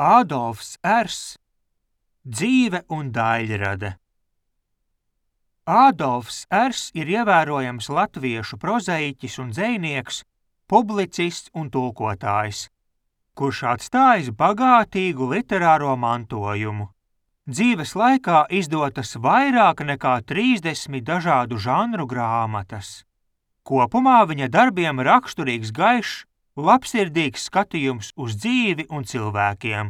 Ādolfs Ers, dzīve un daļrade. Ādolfs Ers ir ievērojams latviešu prozaiķis un dzejnieks, publicists un tulkotājs, kurš atstājis bagātīgu literāro mantojumu. Dzīves laikā izdotas vairāk nekā 30 dažādu žanru grāmatas. Kopumā viņa darbiem raksturīgs gaišs, labsirdīgs skatījums uz dzīvi un cilvēkiem.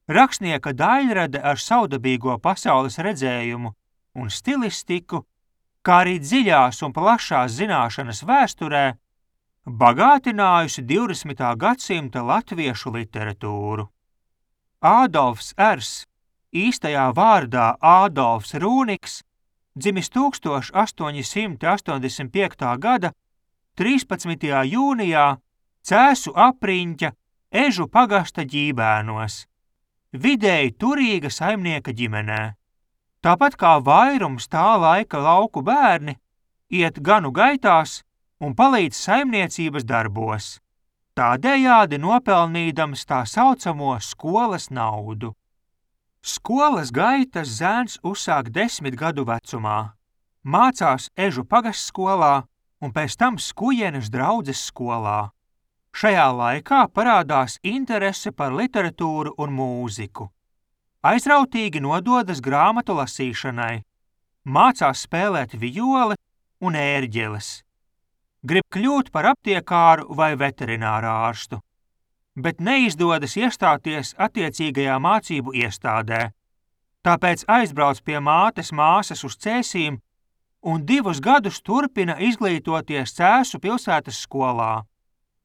Rakstnieka daļrade ar savdabīgo pasaules redzējumu un stilistiku, kā arī dziļās un plašās zināšanas vēsturē, bagātinājusi 20. gadsimta latviešu literatūru. Ādolfs Ers, īstajā vārdā Ādolfs Rūniks, dzimis 1885. gada 13. jūnijā Cēsu apriņķa Ežu pagasta Ģībēnos, vidēji turīga saimnieka ģimenē. Tāpat kā vairums tā laika lauku bērni, iet ganu gaitās un palīdz saimniecības darbos, tādējādi nopelnīdams tā saucamo skolas naudu. Skolas gaitas zēns uzsāk 10 gadu vecumā, mācās Ežu pagastskolā un pēc tam Skujenes draudzes skolā. Šajā laikā parādās interese par literatūru un mūziku. Aizrautīgi nododas grāmatu lasīšanai, mācās spēlēt vijoli un ērģeles. Grib kļūt par aptiekāru vai veterinārā ārstu, bet neizdodas iestāties attiecīgajā mācību iestādē. Tāpēc aizbrauc pie mātes māsas uz Cēsīm un 2 gadus turpina izglītoties Cēsu pilsētas skolā,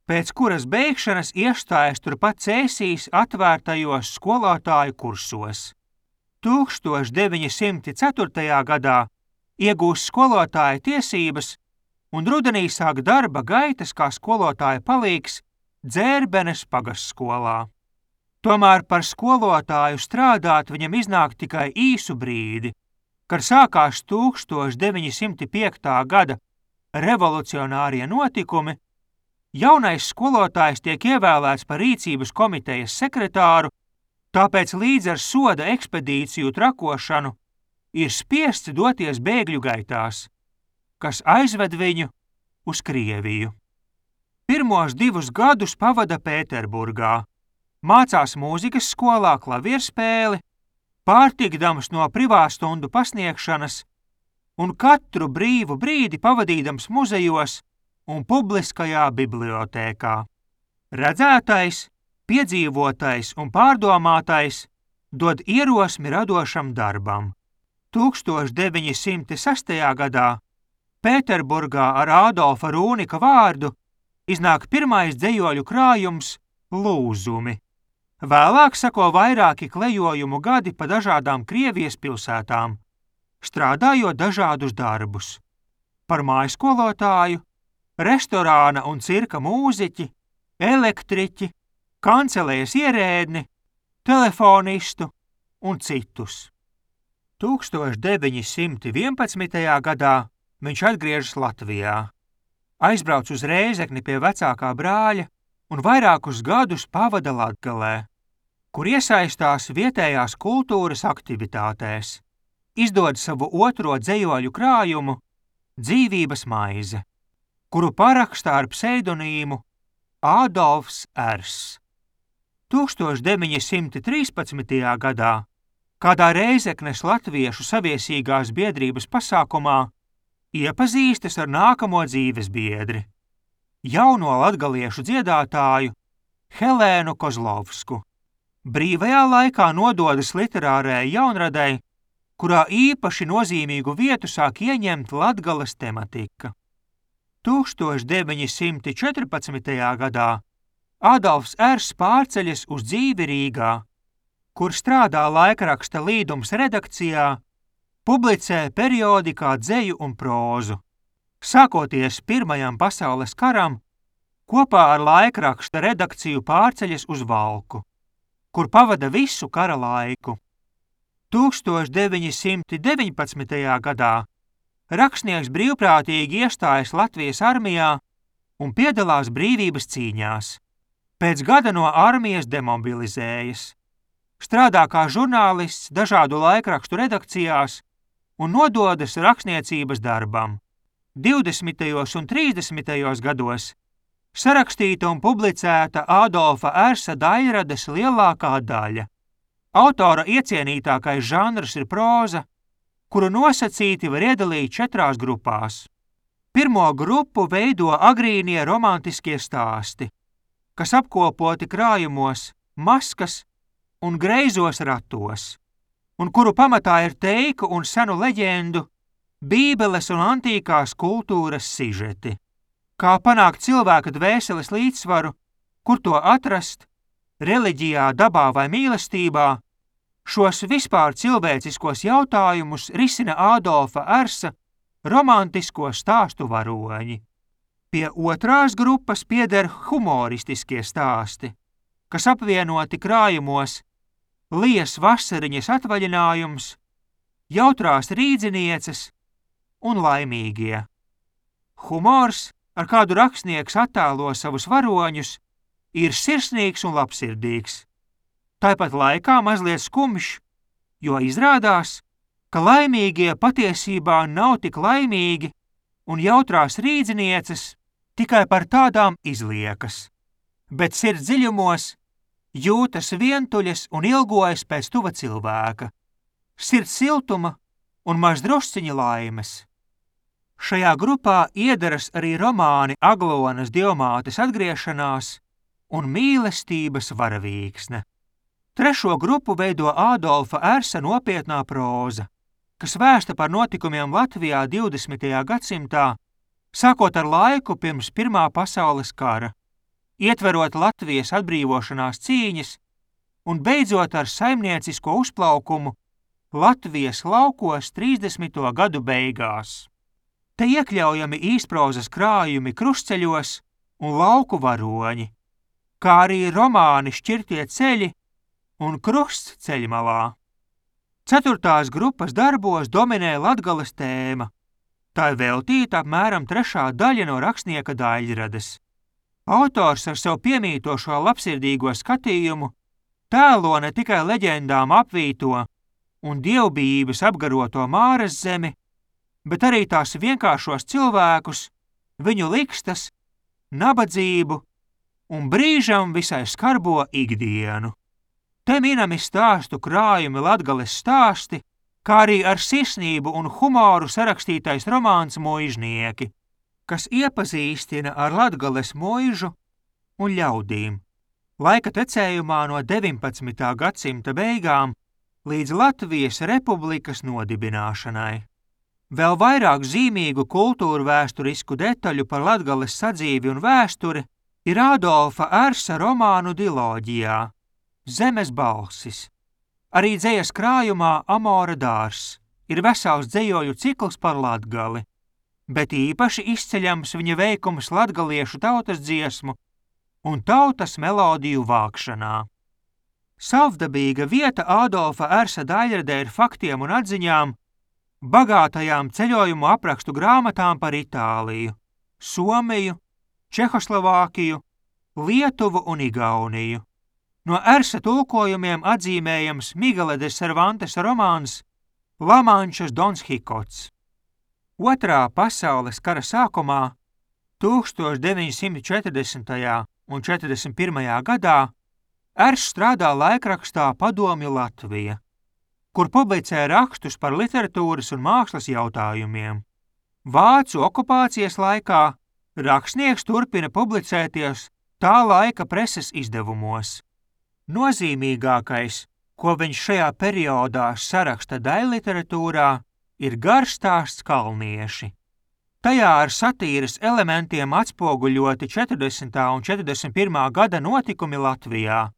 pēc kuras beigšanas iestājas turpat Cēsīs atvērtajos skolotāju kursos. 1904. gadā iegūst skolotāja tiesības un rudenī sāk darba gaitas kā skolotāja palīgs Dzērbenes pagastskolā. Tomēr par skolotāju strādāt viņam iznāk tikai īsu brīdi, kad sākās 1905. gada revolucionārie notikumi. Jaunais skolotājs tiek ievēlēts par rīcības komitejas sekretāru, tāpēc līdz ar soda ekspedīciju trakošanu ir spiests doties bēgļu gaitās, kas aizved viņu uz Krieviju. Pirmos 2 gadus pavada Pēterburgā, mācās mūzikas skolā klavierspēli, pārtikdams no privātstundu pasniegšanas un katru brīvu brīdi pavadīdams muzejos un publiskajā bibliotēkā. Redzētais, piedzīvotais un pārdomātais dod ierosmi radošam darbam. 1906. gadā Pēterburgā ar Ādolfa Rūnika vārdu iznāk pirmais dzejoļu krājums Lūzumi. Vēlāk seko vairāki klejojumu gadi pa dažādām Krievijas pilsētām, strādājot dažādus darbus. Par mājskolotāju, restorāna un cirka mūziķi, elektriķi, kancelējas ierēdni, telefonistu un citus. 1911. gadā viņš atgriežas Latvijā, aizbrauc uz Rēzekni pie vecākā brāļa un vairākus gadus pavada Latgalē, kur iesaistās vietējās kultūras aktivitātēs, izdod savu otro dzejoļu krājumu Dzīvības maize, kuru parakstā ar pseidonīmu Ādolfs Ers. 1913. gadā kādā Rēzeknes latviešu saviesīgās biedrības pasākumā iepazīstas ar nākamo dzīves biedri, jauno latgaliešu dziedātāju Helēnu Kozlovsku. Brīvajā laikā nododas literārajai jaunradei, kurā īpaši nozīmīgu vietu sāk ieņemt Latgales tematika. 1914. gadā Ādolfs Ers pārceļas uz dzīvi Rīgā, kur strādā laikraksta Līdums redakcijā, publicē periodikā dzeju un prózu. Sākoties Pirmajam pasaules karam, kopā ar laikraksta redakciju pārceļas uz Valku, kur pavada visu kara laiku. 1919. gadā rakstnieks brīvprātīgi iestājas Latvijas armijā un piedalās brīvības cīņās. Pēc gada no armijas demobilizējas. strādā kā žurnālists dažādu laikrakstu redakcijās un nododas rakstniecības darbam. 20. un 30. gados sarakstīta un publicēta Ādolfa Ērsa daļradas lielākā daļa. Autora iecienītākais žanrs ir próza, kuru nosacīti var iedalīt 4 grupās. Pirmo grupu veido agrīnie romantiskie stāsti, kas apkopoti krājumos Maskas un Greizos ratos, un kuru pamatā ir teiku un senu leģendu, bībeles un antīkās kultūras sižeti. Kā panākt cilvēka dvēseles līdzsvaru, kur to atrast, reliģijā, dabā vai mīlestībā, šos vispār cilvēciskos jautājumus risina Ādolfa Ērsa romantisko stāstu varoņi. Pie otrās grupas pieder humoristiskie stāsti, kas apvienoti krājumos Lijas vasariņas atvaļinājums, Jautrās rīdzinieces un Laimīgie. Humors, ar kādu rakstnieks attēlo savus varoņus, ir sirsnīgs un labsirdīgs. Tāpat laikā mazliet skumjš, jo izrādās, ka laimīgie patiesībā nav tik laimīgi un jautrās rīdzinieces tikai par tādām izliekas, bet sirds dziļumos jūtas vientuļas un ilgojas pēc tuva cilvēka, sirds siltuma un maz drusciņa laimes. Šajā grupā iederas arī romāni Aglonas dievmātes atgriešanās un mīlestības varavīksne. Trešo grupu veido Ādolfa Ērsa nopietnā próza, kas vēsta par notikumiem Latvijā 20. gadsimtā, sākot ar laiku pirms Pirmā pasaules kara, ietverot Latvijas atbrīvošanās cīņas un beidzot ar saimniecisko uzplaukumu Latvijas laukos 30. gadu beigās. Te iekļaujami īsprozas krājumi Krustceļos un Lauku varoņi, kā arī romāni Šķirtie ceļi un Krusts ceļmalā. 4. grupas darbos dominē Latgales tēma. Tā ir veltīta apmēram 3. daļa no rakstnieka daļradas. Autors ar savu piemītošo labsirdīgo skatījumu tēlo ne tikai leģendām apvīto un dievbijības apgaroto Māras zemi, bet arī tās vienkāršos cilvēkus, viņu likstas, nabadzību un brīžam visai skarbo ikdienu. Te minami stāstu krājumi Latgales stāsti, kā arī ar sirsnību un humoru sarakstītais romāns Muižnieki, kas iepazīstina ar Latgales muižu un ļaudīm, laika tecējumā no 19. gadsimta beigām līdz Latvijas republikas nodibināšanai. Vēl vairāk zīmīgu kultūru vēsturisku detaļu par Latgales sadzīvi un vēsturi ir Ādolfa Ērsa romānu diloģijā Zemes balsis. Arī dzejas krājumā Amora dārs ir vesels dzejoju cikls par Latgali, bet īpaši izceļams viņa veikums latgaliešu tautas dziesmu un tautas melodiju vākšanā. Savdabīga vieta Ādolfa Ērsa daļradē ir faktiem un atziņām, bagātajām ceļojumu aprakstu grāmatām par Itāliju, Somiju, Čehoslovākiju, Lietuvu un Igauniju. No Ērsa tulkojumiem atzīmējams Migela de Cervantes romāns La Mančas Dons Hikots. Otrā pasaules kara sākumā, 1940. un 41. gadā, Ērs strādā laikrakstā Padomju Latvija, kur publicē rakstus par literatūras un mākslas jautājumiem. Vācu okupācijas laikā rakstnieks turpina publicēties tā laika preses izdevumos. Nozīmīgākais, ko viņš šajā periodā saraksta daļliteratūrā, ir garš stāsts Kalnieši. Tajā ar satīras elementiem atspoguļoti 40. un 41. gada notikumi Latvijā,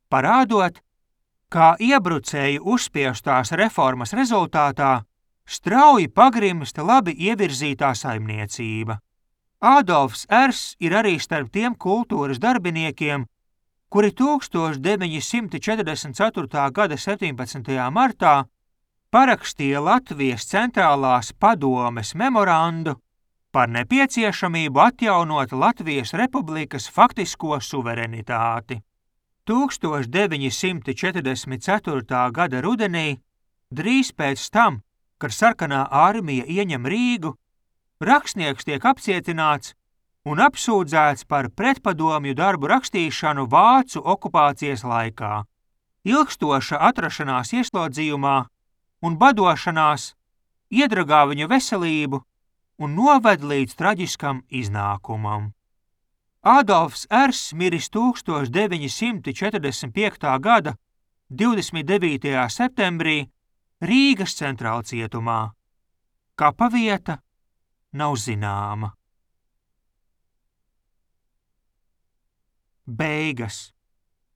parādot, kā iebrucēju uzspiestās reformas rezultātā strauji pagrimsta labi ievirzītā saimniecība. Ādolfs Ērs ir arī starp tiem kultūras darbiniekiem, kuri 1944. gada 17. martā parakstīja Latvijas centrālās padomes memorandu par nepieciešamību atjaunot Latvijas republikas faktisko suverenitāti. 1944. gada rudenī, drīz pēc tam, kad sarkanā armija ieņem Rīgu, rakstnieks tiek apcietināts un apsūdzēts par pretpadomju darbu rakstīšanu vācu okupācijas laikā. Ilgstoša atrašanās ieslodzījumā un badošanās iedragā viņa veselību un noved līdz traģiskam iznākumam. Ādolfs Ers miris 1945. gada 29. septembrī Rīgas centrālcietumā. Kapavieta nav zināma. Beigas.